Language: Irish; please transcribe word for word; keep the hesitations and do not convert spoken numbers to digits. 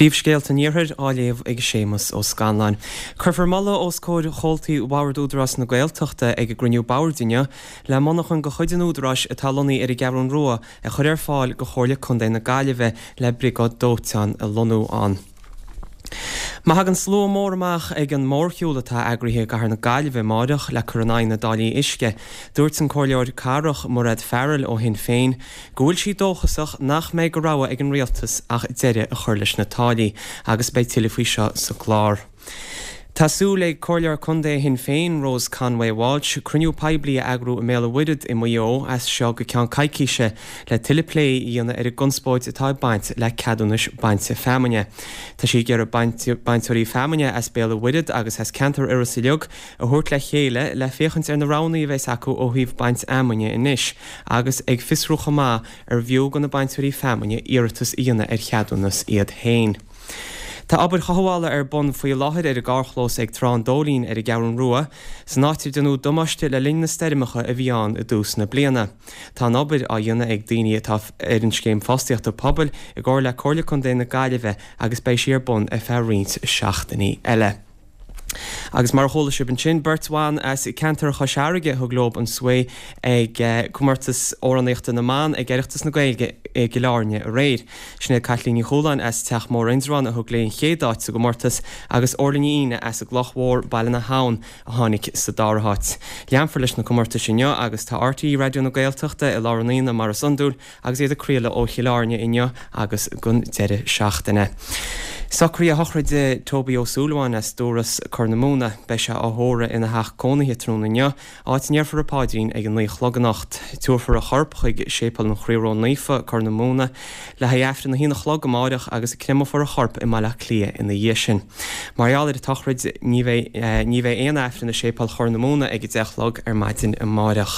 Príomhscéalta an Iarthair á léamh ag Séamus Ó Scanláin. Cuirfear moladh os comhair chomhaltaí Bhord Údarás na Gaeltachta ag a gcruinniú boird inniu le monarchan de chuid an Údaráis atá lonnaithe ar an gCeathrú Rua a chur ar fáil do Chomhairle Contae na Gaillimhe le briogáid dóiteáin a lonnú ann. Má thagann slua mór amach ag an mórshiúl atá eagraithe i gcathair na Gaillimhe amárach le cur in aghaidh na dtáillí uisce, dúirt an Comhairleoir Cathrach Mairéad Farrell ó Shinn Féin go bhfuil sí dóchasach nach mbeidh de rogha ag an rialtas ach deireadh a chur leis na táillí, agus beidh tuilleadh faoi seo sa gclár. Tá súil ag Comhairleoir Contae Shinn Féin, Rose Conway Walsh, cruinniú poiblí a eagrú i mBéal an Mhuirthead i Maigh Eo as seo go ceann coicíse le tuilleadh plé a dhéanamh ar an gconspóid atá ag baint le ceadúnais bainte feamainne. Tá sí ag iarraidh bainteoirí feamainne as Béal an Mhuirthead agus as ceantar Iorras uilig a thabhairt le chéile le féachaint ar na roghanna a bheas acu ó thaobh baint fheamainne anois agus ag fiosrú chomh maith arbh fhiú do na bainteoirí feamainne iarratas a dhéanamh ar cheadúnas iad féin. Tá obair chothabhála ar bun faoi láthair ar an gcarrchlós ag Trá an Dóilín ar an gCeathrú Rua, san áit ar déanadh damáiste le linn na stoirmeacha a bhí ann i dtús na bliana. Tá an obair á dhéanamh ag daoine atá ar an Scéim Fostaíochta Pobail i gcomhar le Comhairle Contae na Gaillimhe agus beidh sí ar bun ar feadh roinnt seachtainí eile. Agus mar a chuala sibh ansin, beirt bhan as ceantar Chois Fharraige a thug leo an svae ag Comórtas Amhránaíochta na mBan ag Oireachtas na Gaeilge i gCill Airne aréir. Sinéad Caitlín Ní Chualáin as Teach Mór Indreabhán a thug léi an chéad áit sa gcomórtas agus Orla Ní Fhíne as an gCloch Mhór, Baile na hAbhann, a tháinig sa dara háit. Leanfar leis na comórtais inniu agus tá RTÉ Raidió na Gaeltachta i lár an aonaigh mar is iondúil agus iad ag craoladh ó Chill Airne inniu agus don deireadh seachtaine. Socruithe sochraide Toby Ó Súilleabháin as Dúras, Corr na Móna. Beidh sé á thórramh ina theach cónaithe tráthnóna inniu, áit a ndéarfar an paidrín ag a naoi a chlog anocht. Tabharfar a chorp chuig Séipéal an Chroí Ró-Naofa, Corr na Móna, le haghaidh Aifreann a haon a chlog amáireach agus créamófar a chorp i mBaile Átha Cliath ina dhiaidh sin. Mar gheall ar an tsochraid, ní bheidh ní bheidh aon Aifreann i Séipéal Chorr na Móna ag a deich a chlog ar maidin amáireach.